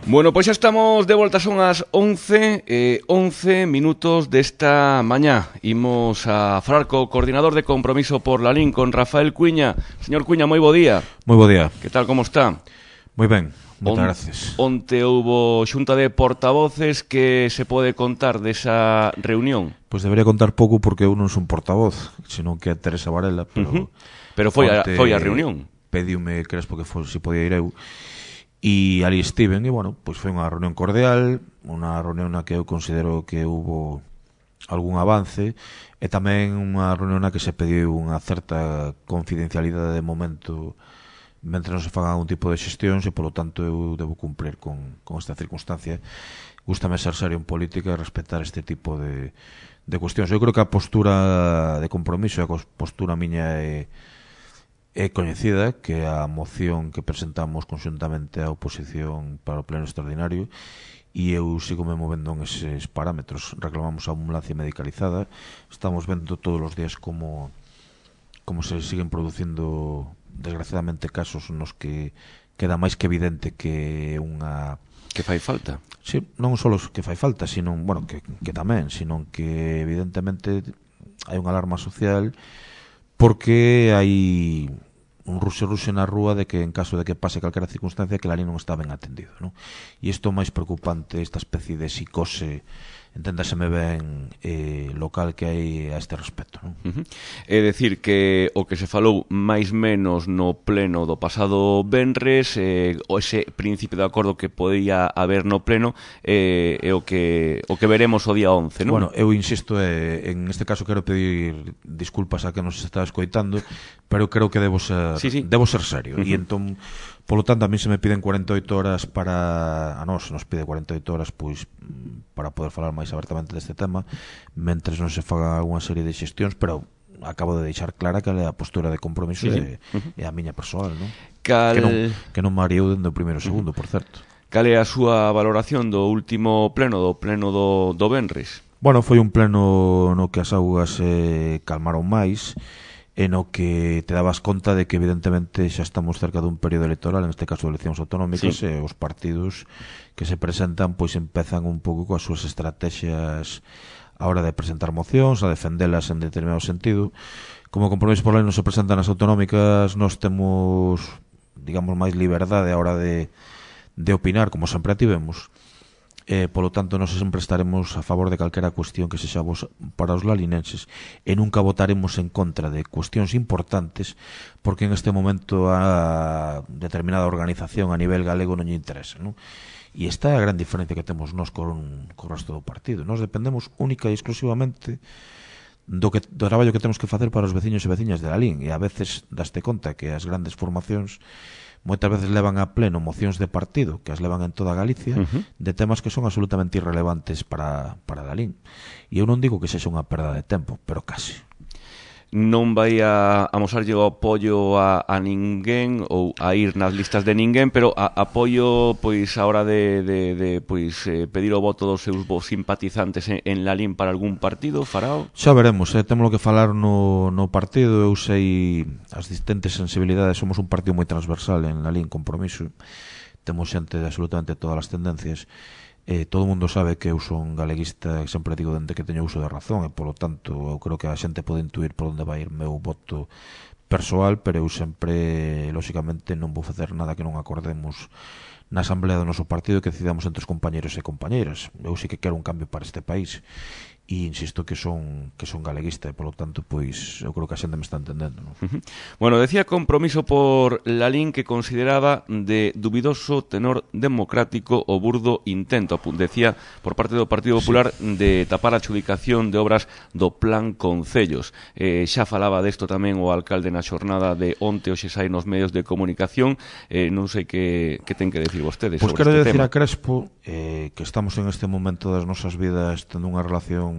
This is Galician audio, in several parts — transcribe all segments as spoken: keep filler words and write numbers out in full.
Bueno, pois xa estamos de volta, son as once, eh, once minutos desta mañá. Imos a falar co coordinador de Compromiso por Lalín, con Rafael Cuiña. Señor Cuiña, moi bo día. Moi bo día. Que tal, como está? Moi ben, moitas On, gracias. Onte houbo xunta de portavoces, que se pode contar desa reunión? Pois debería contar pouco porque eu non son portavoz, senón que é Teresa Varela, pero... Uh -huh. Pero foi a, foi a reunión. Pediume Crespo que foi, se podía ir eu. E ali estiven, e bueno, pois foi unha reunión cordial, unha reunión na que eu considero que hubo algún avance, e tamén unha reunión na que se pediu unha certa confidencialidade de momento mentre non se faga algún tipo de xestións, e polo tanto eu debo cumplir con, con esta circunstancia. Gústame ser serio en política e respetar este tipo de, de cuestións. Eu creo que a postura de Compromiso, a postura miña é É coñecida, que a moción que presentamos conxuntamente á oposición para o pleno extraordinario, e eu sigo me movendo en eses parámetros. Reclamamos a ambulancia medicalizada, estamos vendo todos os días como como se siguen producindo desgraciadamente casos nos que queda máis que evidente que unha... Que fai falta. Sí, non só que fai falta, sino, bueno, que, que tamén, sino que evidentemente hai unha alarma social porque hai un ruxe-ruxe na rúa de que en caso de que pase calquera circunstancia que Lalín non está ben atendido, non? E isto máis preocupante, esta especie de psicose, enténdaseme ben, eh, local que hai a este respecto, non? Uh -huh. É dicir que o que se falou máis menos no pleno do pasado venres, eh, o ese principio de acordo que podía haber no pleno, eh, é o que o que veremos o día once, non? Bueno, eu insisto, eh, en este caso quero pedir disculpas a que nos está escoitando, pero creo que debo ser, sí, sí. debo ser serio. Uh -huh. E entón, polo tanto, a mí se me piden cuarenta e oito horas para... A nós se nos pide cuarenta e oito horas, pois, para poder falar máis abertamente deste tema, mentres non se faga unha serie de xestións, pero acabo de deixar clara que a postura de Compromiso sí, sí. É, uh -huh. é a miña persoal, non? Cal... Que non, que non me ariou dende o primeiro segundo, uh -huh. por certo. Cal é a súa valoración do último pleno, do pleno do, do venres? Bueno, foi un pleno no que as augas se calmaron máis, e no que te dabas conta de que evidentemente xa estamos cerca dun período electoral, en este caso de eleccións autonómicas, sí. E os partidos que se presentan pois empezan un pouco coas súas estrategias a hora de presentar mocións, a defendelas en determinado sentido. Como Compromiso por Lalín non se presentan as autonómicas, nós temos, digamos, máis liberdade a hora de, de opinar, como sempre a tivemos. Eh, polo tanto, nós sempre estaremos a favor de calquera cuestión que sexa para os lalinenses, e nunca votaremos en contra de cuestións importantes porque en este momento a determinada organización a nivel galego non lle interesa, non? E esta é a gran diferencia que temos nós con, con o resto do partido. Nós dependemos única e exclusivamente do, que, do traballo que temos que facer para os veciños e veciñas de Lalín, e a veces daste conta que as grandes formacións moitas veces levan a pleno mocións de partido que as levan en toda Galicia, uh -huh. de temas que son absolutamente irrelevantes para, para Lalín. E eu non digo que sexa unha perda de tempo, pero case. Non vai a amosarlle o apoio a, a ninguén ou a ir nas listas de ninguén, pero a, apoio pois a hora de, de, de pois eh, pedir o voto dos seus simpatizantes en, en Lalín para algún partido, farao? Xa veremos, eh, temos que falar no, no partido. Eu sei as distintas sensibilidades, somos un partido moi transversal en Lalín, Compromiso, temos xente de absolutamente todas as tendencias. Eh, todo o mundo sabe que eu son galeguista, que sempre digo dende que teño uso de razón, e polo tanto eu creo que a xente pode intuir por onde vai ir meu voto persoal, pero eu sempre, lóxicamente, non vou facer nada que non acordemos na asamblea do noso partido, que decidamos entre os compañeros e compañeiras. Eu sí que quero un cambio para este país, e insisto que son que son galeguista, e polo tanto, pois eu creo que a xente me está entendendo, non? Uh -huh. Bueno, decía Compromiso por Lalín que consideraba de dubidoso tenor democrático o burdo intento, decía, por parte do Partido Popular, sí, de tapar a adxudicación de obras do Plan Concellos. Eh, xa falaba desto tamén o alcalde na xornada de onte, hoxe sai nos medios de comunicación. Eh, non sei que, que ten que decir vostedes pues sobre este tema. Pois quero decir a Crespo eh, que estamos en este momento das nosas vidas tendo unha relación,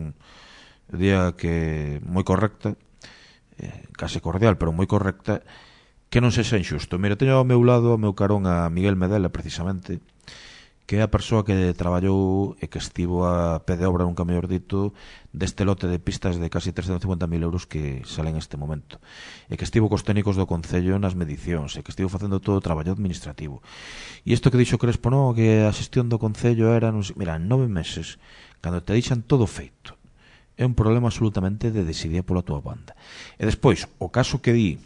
diría que moi correcta, eh, case cordial, pero moi correcta, que non sexa injusto. Mira, teño ao meu lado, ao meu carón, a Miguel Medela, precisamente, que é a persoa que traballou e que estivo a pé de obra, nunca mellor dito, deste lote de pistas de casi trescentos cincuenta mil euros que salen neste momento, e que estivo cos técnicos do Concello nas medicións, e que estivo facendo todo o traballo administrativo. E isto que dixo Crespo, no, que a xestión do Concello era, non sei, mira, en nove meses, cando te deixan todo feito, é un problema absolutamente de desidia pola tua banda. E despois, o caso que di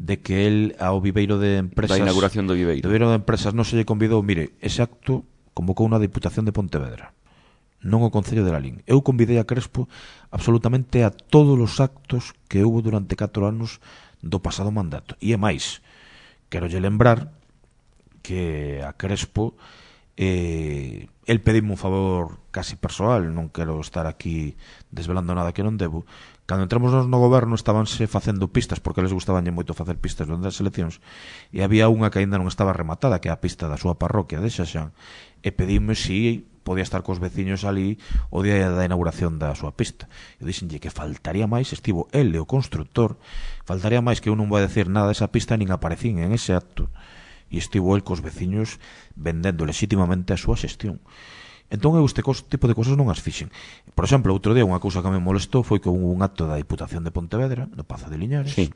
de que el ao viveiro de empresas, da inauguración do viveiro, do viveiro de empresas non se lle convidou, mire, ese acto convocou unha Diputación de Pontevedra, non o Concello de Lalín. Eu convidei a Crespo absolutamente a todos os actos que houve durante catro anos do pasado mandato. E é máis, quero lle lembrar que a Crespo eh, el pedime un favor casi persoal, non quero estar aquí desvelando nada que non debo. Cando entramos no goberno estabanse facendo pistas, porque les gustaban moito facer pistas durante as eleccións, e había unha que ainda non estaba rematada, que é a pista da súa parroquia de Xaxán, e pedime si podía estar cos veciños ali o día da inauguración da súa pista. Eu dixenlle que faltaría máis, estivo el e o constructor, faltaría máis que eu non vou a decir nada desa pista, nin aparecín en ese acto, e estivo el cos veciños vendendo legítimamente a súa xestión. Entón eu este tipo de cosas non as fixen. Por exemplo, outro día unha cousa que me molestou foi que houve un acto da Diputación de Pontevedra, no Pazo de Liñares, sí,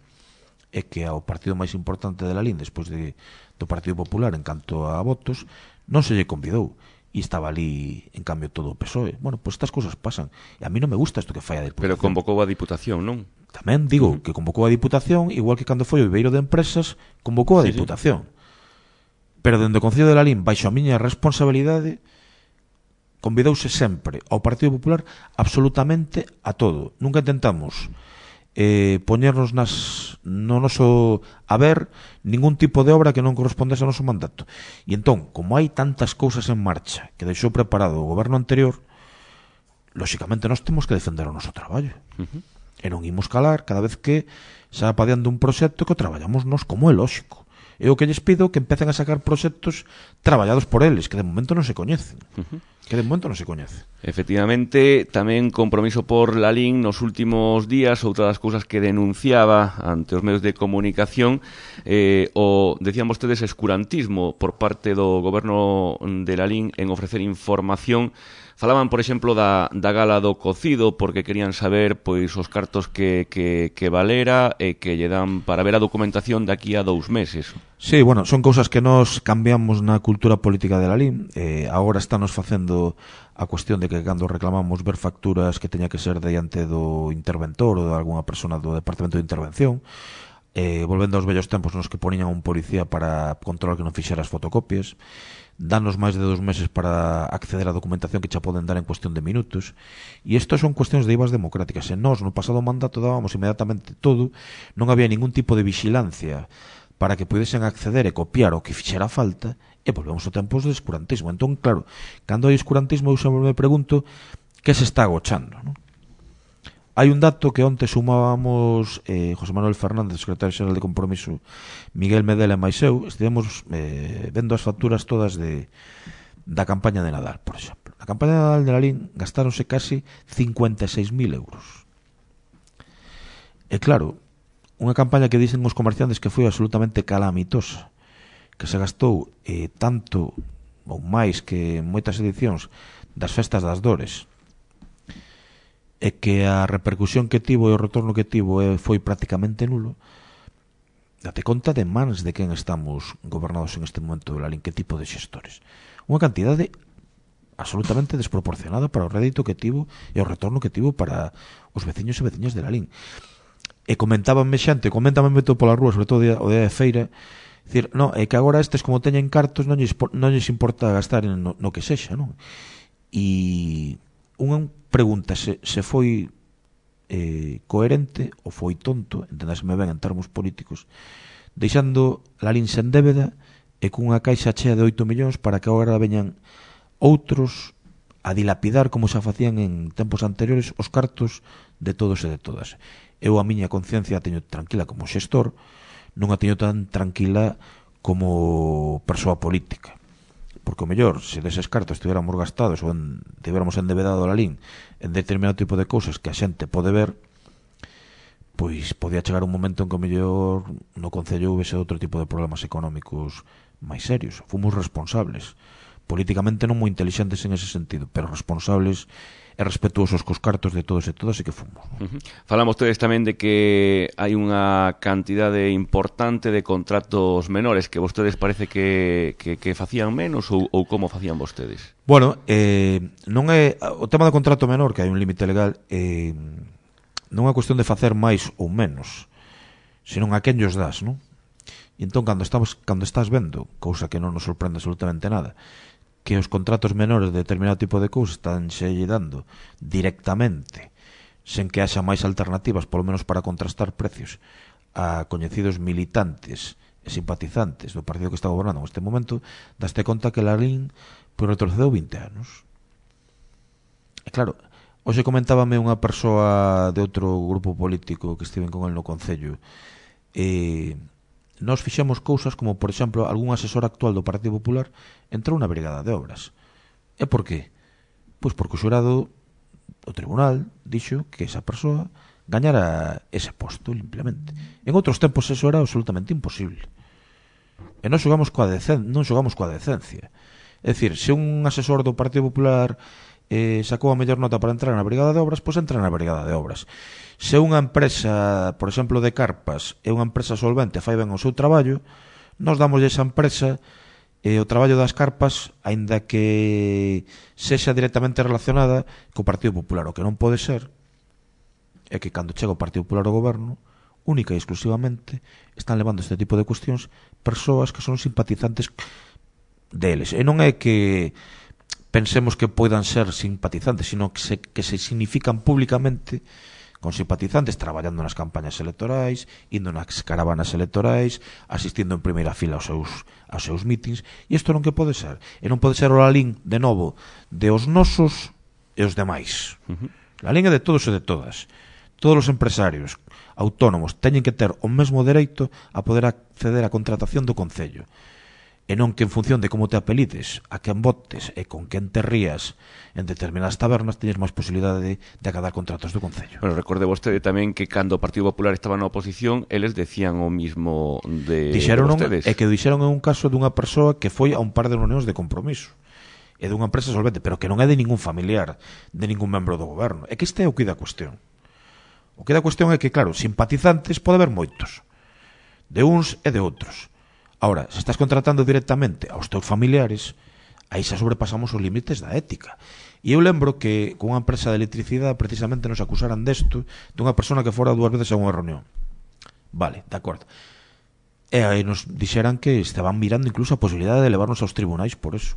e que ao partido máis importante de Lalín, despois de, do Partido Popular en canto a votos, non se lle convidou, e estaba ali en cambio todo o P S O E. Bueno, pois pues estas cousas pasan, e a mí non me gusta isto que fai a Diputación. Pero convocou a Diputación, non? Tamén digo uh -huh. que convocou a Diputación, igual que cando foi o viveiro de empresas, convocou a sí, Diputación. Sí. Pero dende o Concello de Lalín, baixo a miña responsabilidade, convidouse sempre ao Partido Popular absolutamente a todo. Nunca intentamos eh, poñernos nas, no noso haber ningún tipo de obra que non correspondese ao noso mandato. E entón, como hai tantas cousas en marcha que deixou preparado o goberno anterior, lóxicamente nós temos que defender o noso traballo. Uh -huh. E non imos calar cada vez que xa apadeando un proxecto que o traballamos nós como é lóxico. E o que lles pido que empecen a sacar proxectos traballados por eles, que de momento non se coñecen. Uh-huh. Que de momento non se coñece. Efectivamente, tamén compromiso por Lalín nos últimos días, outra das cousas que denunciaba ante os medios de comunicación, eh, o, decían vostedes, escurantismo por parte do goberno de Lalín en ofrecer información. Falaban, por exemplo, da, da gala do cocido, porque querían saber pois os cartos que, que, que valera e que lle dan para ver a documentación de aquí a dous meses. Sí, bueno, son cousas que nos cambiamos na cultura política de Lalín. Eh, agora estános facendo a cuestión de que cando reclamamos ver facturas que teña que ser diante do interventor ou de alguna persona do Departamento de Intervención, eh, volvendo aos vellos tempos nos que ponían un policía para controlar que non fixera as fotocopias, danos máis de dos meses para acceder á documentación que xa poden dar en cuestión de minutos, e isto son cuestións de I V As democráticas. E nós no pasado mandato dábamos inmediatamente todo, non había ningún tipo de vigilancia para que pudesen acceder e copiar o que fixera falta, e volvemos a tempos de escurantismo. Entón, claro, cando hai escurantismo eu sempre me pregunto que se está agochando, non? Hai un dato que onte sumábamos eh, José Manuel Fernández, secretario xeral de Compromiso, Miguel Medela e máis eu, estivemos eh, vendo as facturas todas de da campaña de Nadal, por exemplo. Na campaña de Nadal de Lalín gastáronse casi cincuenta e seis mil euros. E claro, unha campaña que dicen os comerciantes que foi absolutamente calamitosa, que se gastou eh, tanto ou máis que en moitas edicións das festas das dores, e que a repercusión que tivo e o retorno que tivo eh, foi prácticamente nulo. Date conta de mans de quen estamos gobernados en este momento de Lalín, que tipo de xestores. Unha cantidade absolutamente desproporcionada para o rédito que tivo e o retorno que tivo para os veciños e veciñas de Lalín. E comentabanme xente, comentabanme todo pola rúa, sobre todo o día de feira, dicir, no, é que agora estes como teñen cartos non lles, non lles importa gastar no, no que sexa, non? E unha pregunta se, se foi eh, coherente ou foi tonto, entendáseme ben en termos políticos, deixando Lalín sen débeda e cunha caixa chea de oito millóns para que agora veñan outros a dilapidar como xa facían en tempos anteriores os cartos de todos e de todas. Eu a miña conciencia a teño tranquila como xestor, non a teño tan tranquila como persoa política. Porque o mellor, se deses cartos estuviéramos gastados ou en, tiveramos endevedado a Lalín en determinado tipo de cousas que a xente pode ver, pois podía chegar un momento en que o mellor no Concello houvese outro tipo de problemas económicos máis serios. Fomos responsables, políticamente non moi intelixentes en ese sentido, pero responsables e respetuosos cos cartos de todos e todas e que fomos. Uh-huh. Falamos tedes tamén de que hai unha cantidade importante de contratos menores que vostedes parece que, que, que facían menos ou, ou como facían vostedes? Bueno, eh, non é o tema do contrato menor, que hai un límite legal, eh, non é cuestión de facer máis ou menos, senón a quen llos das, non? E entón, cando, estamos, cando estás vendo, cousa que non nos sorprende absolutamente nada, que os contratos menores de determinado tipo de cousas están xe dando directamente, sen que haxa máis alternativas, polo menos para contrastar precios, a coñecidos militantes e simpatizantes do partido que está gobernando neste momento, daste conta que Lalín pois, retrocedeu vinte anos. E claro, hoxe comentábame unha persoa de outro grupo político que estiven con el no Concello, e nós fixemos cousas como, por exemplo, algún asesor actual do Partido Popular entrou na Brigada de Obras. E por qué? Pois porque o xurado, o tribunal, dixo que esa persoa gañara ese posto, simplemente. En outros tempos eso era absolutamente imposible. E non xogamos coa decencia, non xogamos coa decencia. É dicir, se un asesor do Partido Popular eh, sacou a mellor nota para entrar na Brigada de Obras, pois entra na Brigada de Obras. Se unha empresa, por exemplo, de carpas, é unha empresa solvente, fai ben o seu traballo, nos damos esa empresa e o traballo das carpas, aínda que sexa directamente relacionada co Partido Popular. O que non pode ser é que cando chega o Partido Popular ao goberno, única e exclusivamente están levando este tipo de cuestións persoas que son simpatizantes deles. E non é que pensemos que poidan ser simpatizantes, sino que se, que se significan públicamente con simpatizantes, traballando nas campañas electorais, indo nas caravanas electorais, asistindo en primeira fila aos seus, aos seus mítings, e isto non que pode ser. E non pode ser o Lalín, de novo, de os nosos e os demais. Uh-huh. Lalín é de todos e de todas. Todos os empresarios autónomos teñen que ter o mesmo dereito a poder acceder á contratación do Concello. E non que en función de como te apelides, a quen votes e con quen te rías en determinadas tabernas teñes máis posibilidade de, de acadar contratos do Concello. Pero recorde vostede tamén que cando o Partido Popular estaba na oposición, eles decían o mismo de, dixeron de vostedes. E que dixeron en un caso dunha persoa que foi a un par de reunións de compromiso e dunha empresa solvente, pero que non é de ningún familiar, de ningún membro do goberno. É que este é o que da cuestión. O que da cuestión é que, claro, simpatizantes pode haber moitos, de uns e de outros. Ahora, se estás contratando directamente aos teus familiares, aí xa sobrepasamos os límites da ética. E eu lembro que con unha empresa de electricidade precisamente nos acusaran desto, dunha persona que fora dúas veces a unha reunión. Vale, de acordo. E aí nos dixeran que estaban mirando incluso a posibilidade de levarnos aos tribunais por eso.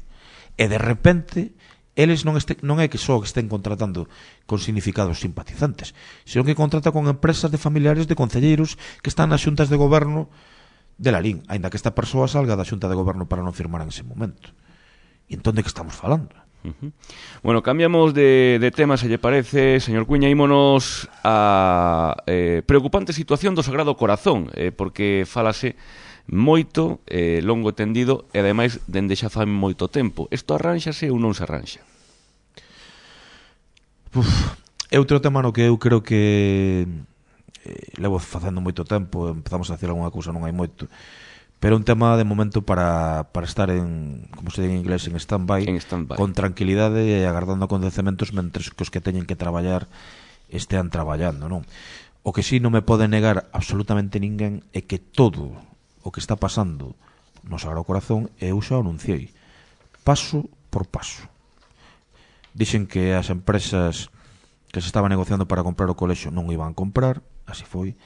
E de repente, eles non, este, non é que só estén contratando con significados simpatizantes, senón que contrata con empresas de familiares de concelleiros que están nas xuntas de goberno de Lalín, aínda que esta persoa salga da xunta de goberno para non firmar en ese momento. E entón de que estamos falando? Uh-huh. Bueno, cambiamos de, de tema, se lle parece, señor Cuña, ímonos a eh, preocupante situación do Sagrado Corazón, eh, porque falase moito, eh, longo tendido, e ademais dende xa fai moito tempo. Isto arránxase ou non se arranxa? Uf, é outro tema no que eu creo que eh, levo facendo moito tempo, empezamos a decir algunha cousa, non hai moito, pero un tema de momento para, para estar en, como se diga en inglés, en stand-by, en stand-by, con tranquilidade e agardando acontecementos mentres que os que teñen que traballar estean traballando, non? O que sí non me pode negar absolutamente ninguén é que todo o que está pasando no Sagrado Corazón, eu xa o anunciei, paso por paso. Dixen que as empresas que se estaban negociando para comprar o colexio non o iban a comprar, así foi.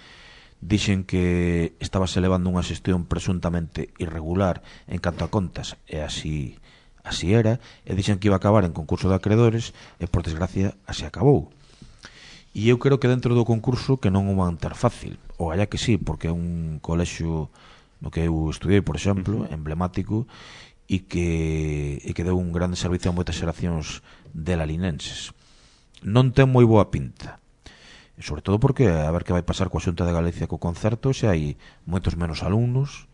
Dixen que estaba se levando unha xestión presuntamente irregular en canto a contas, e así así era, e dixen que iba a acabar en concurso de acreedores, e por desgracia así acabou. E eu creo que dentro do concurso que non o van ter fácil, ou allá que sí, porque é un colexio no que eu estudiei, por exemplo, emblemático, e que, e que deu un grande servicio a moitas xeracións de lalinenses. Non ten moi boa pinta, sobre todo porque a ver que vai pasar coa Xunta de Galicia co concerto, se hai moitos menos alumnos,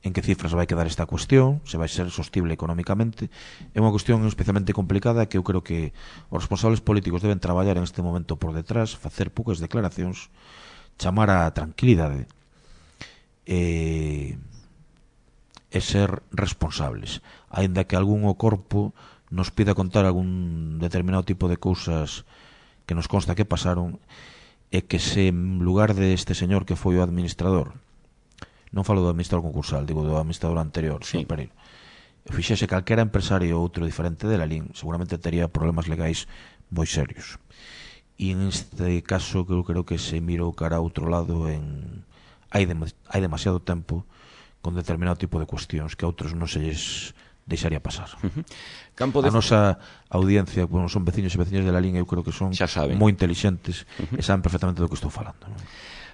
en que cifras vai quedar esta cuestión, se vai ser sostible económicamente. É unha cuestión especialmente complicada que eu creo que os responsables políticos deben traballar en este momento por detrás, facer poucas declaracións, chamar a tranquilidade e, e ser responsables. Aínda que algún o corpo nos pida contar algún determinado tipo de cousas que nos consta que pasaron, e que se en lugar deste señor que foi o administrador, non falo do administrador concursal, digo do administrador anterior, sí, Pereiro, fixese calquera empresario outro diferente de la Lalín, seguramente tería problemas legais moi serios. E en este caso eu creo que se mirou cara a outro lado en hai, dem hai demasiado tempo con determinado tipo de cuestións que a outros non se lles deixaría pasar. Uh-huh. Campo de... A nosa audiencia, bueno, son veciños e veciñas de la línea, eu creo que son moi inteligentes, uh-huh, e saben perfectamente do que estou falando, non?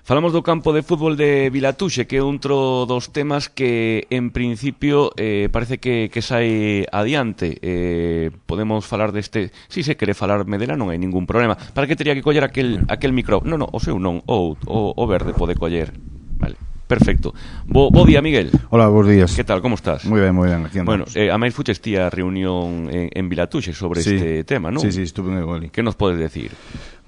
Falamos do campo de fútbol de Vilatuxe, que é outro dos temas que, en principio, eh, parece que, que sai adiante. Eh, podemos falar deste... Si se quere falar Medela, non hai ningún problema. Para que teria que coller aquel, aquel micro? Non, non, o seu non, o, o, o verde pode coller. Vale. Perfecto. Bo, bo día, Miguel. Hola, bons días. Que tal, como estás? Moi ben, moi ben, aquí Bueno, andamos. eh, a máis fuches ti a reunión en, en Vilatuxe sobre sí, este tema, non? Sí, sí, estuve en Egoli. Que nos podes decir?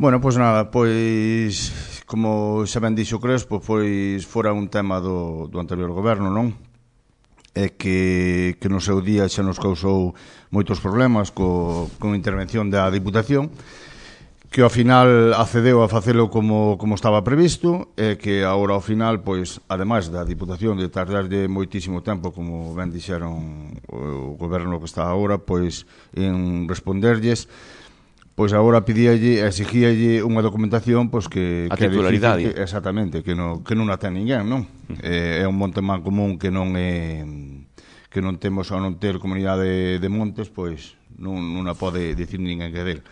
Bueno, pois pues nada, pois como xa ben dixo Crespo, pois fora un tema do, do anterior goberno, non? E que, que no seu día xa nos causou moitos problemas co, con a intervención da Diputación, que ao final accedeu a facelo como, como estaba previsto, e que agora ao final, pois, ademais da Diputación de tardarlle moitísimo tempo, como ben dixeron o goberno que está agora, pois, en responderlles, pois agora pedíalle, exigíalle unha documentación, pois, que... A que titularidade. Que, exactamente, que non, que non a ten ninguén, non? Uh-huh. É, é un monte man común que non é... que non temos ao non ter comunidade de montes, pois, non, non a pode dicir ninguén que del.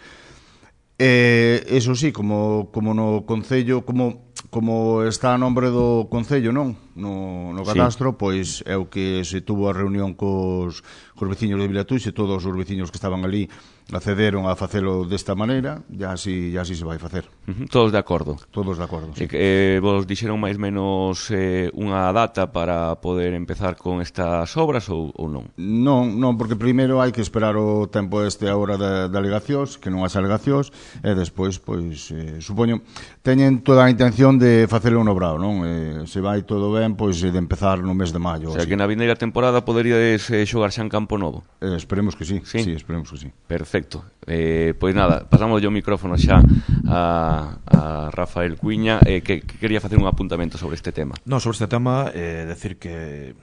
Eh, eso sí, como, como no Concello, como, como está a nombre do Concello, non? No, no cadastro, sí, pois é o que se tuvo a reunión cos, cos veciños de Vilatuxe, todos os veciños que estaban ali accederon a facelo desta maneira, e así, así se vai facer. Uh-huh. Todos de acordo? Todos de acordo, sí. Eh, vos dixeron máis menos eh, unha data para poder empezar con estas obras ou, ou non? Non, non, porque primeiro hai que esperar o tempo este agora de, de alegacións, que non haxa alegacións, e despois, pois, eh, supoño, teñen toda a intención de facelo no brao, non? Eh, se vai todo ben, pois, de empezar no mes de maio. O sea, que na vindeira temporada poderíades eh, xogar xa en Campo Novo? Eh, esperemos que sí, sí, sí, esperemos que sí. Perfecto. Eh, pois nada, pasamos yo o micrófono xa a, a Rafael Cuiña, eh, que, que quería facer un apuntamento sobre este tema. Non, sobre este tema, eh, decir que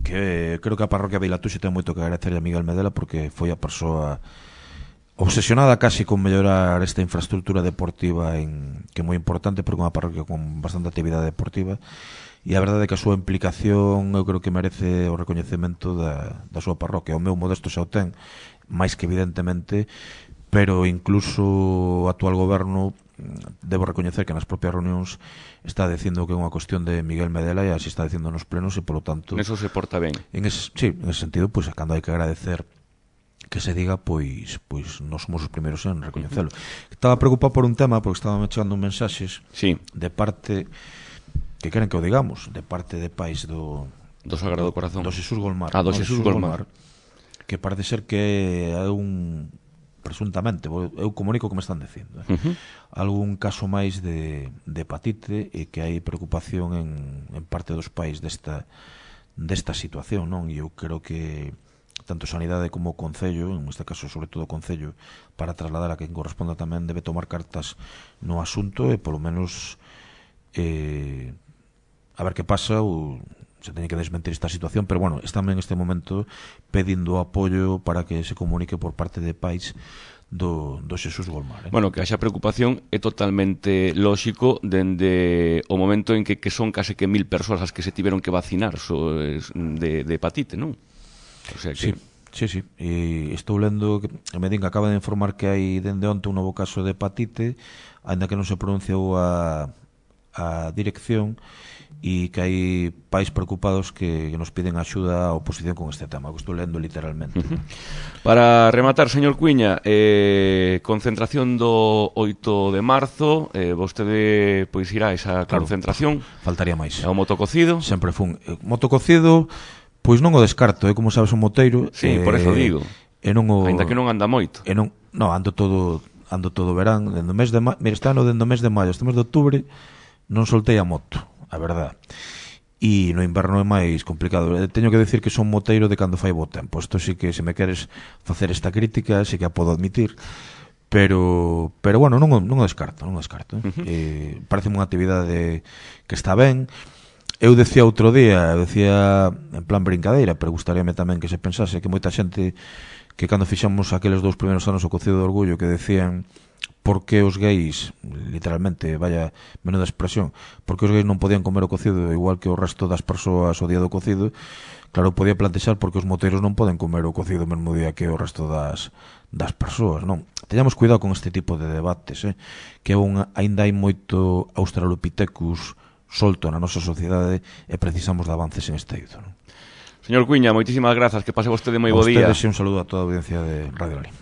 que creo que a parroquia de Vilatuxe ten moito que agradecer a Miguel Medela, porque foi a persoa obsesionada casi con mellorar esta infraestructura deportiva en, que é moi importante, porque é unha parroquia con bastante actividade deportiva, e a verdade é que a súa implicación eu creo que merece o recoñecemento da, da súa parroquia. O meu modesto xa o ten, máis que evidentemente, pero incluso o actual goberno debo recoñecer que nas propias reunións está dicindo que é unha cuestión de Miguel Medela, e así está dicindo nos plenos, e polo tanto eso se porta ben. En ese, sí, en ese sentido, pois, pues, cando hai que agradecer que se diga, pois pois non somos os primeiros en recoñecelo. Uh-huh. Estaba preocupado por un tema, porque estaba me chegando mensaxes, sí, de parte que queren que o digamos, de parte de pais do do Sagrado Corazón, do Xesús Golmar, ah, do Xesús Golmar, que parece ser que é un, presuntamente, eu comunico o que me están dicindo, eh? Uh-huh. Algún caso máis de, de hepatite, e que hai preocupación en, en parte dos pais desta desta situación, non? E eu creo que tanto Sanidade como o Concello, en este caso sobre todo o Concello, para trasladar a quen corresponda tamén, debe tomar cartas no asunto, e polo menos eh, a ver que pasa, ou se teñe que desmentir esta situación, pero bueno, están en este momento pedindo apoio para que se comunique por parte de pais do, do Xesús Golmar, eh? Bueno, que haxa preocupación é totalmente lóxico dende o momento en que, que son case que mil persoas as que se tiveron que vacinar so, de, de hepatite, non? O sea que... Sí, sí, sí. E estou lendo que a Medinga acaba de informar que hai dende onte un novo caso de hepatite, aínda que non se pronunciou a, a dirección, e que hai pais preocupados que nos piden axuda a oposición con este tema, que estou lendo literalmente. Uh-huh. Para rematar, señor Cuiña, eh, concentración do oito de marzo, eh, vostede pois irá a esa claro, concentración. Faltaría máis. É o motococido? Sempre fun. Eh, motococido, pois non o descarto, é eh, como sabes, un moteiro. Sí, eh, por eso digo. E non o... Ainda que non anda moito. E non, non, ando todo ando todo verán, dende o mes de ma... Mira, este ano dende o mes de maio, este mes de outubro non soltei a moto, a verdad. e no inverno é máis complicado. Teño que decir que son moteiro de cando fai bo tempo. Isto sí que, se me queres facer esta crítica, sí que a podo admitir, pero pero bueno, non, non o descarto, non o descarto. Eh? Uh-huh. Eh, parece unha actividade que está ben. Eu decía outro día, eu decía en plan brincadeira, pero gustaríame tamén que se pensase que moita xente que cando fixamos aqueles dous primeiros anos o Cocido de Orgullo que decían por que os gays, literalmente, vaya menuda expresión, por que os gays non podían comer o cocido igual que o resto das persoas o día do cocido. Claro, podía plantexar porque os moteiros non poden comer o cocido o mesmo día que o resto das, das persoas, non? Teñamos cuidado con este tipo de debates, eh? Que un, ainda hai moito Australopithecus solto na nosa sociedade e precisamos de avances en este eido, non? Señor Cuíña, moitísimas grazas, que pase vostede moi bo día. A ustedes un saludo a toda a audiencia de Radio Lalín.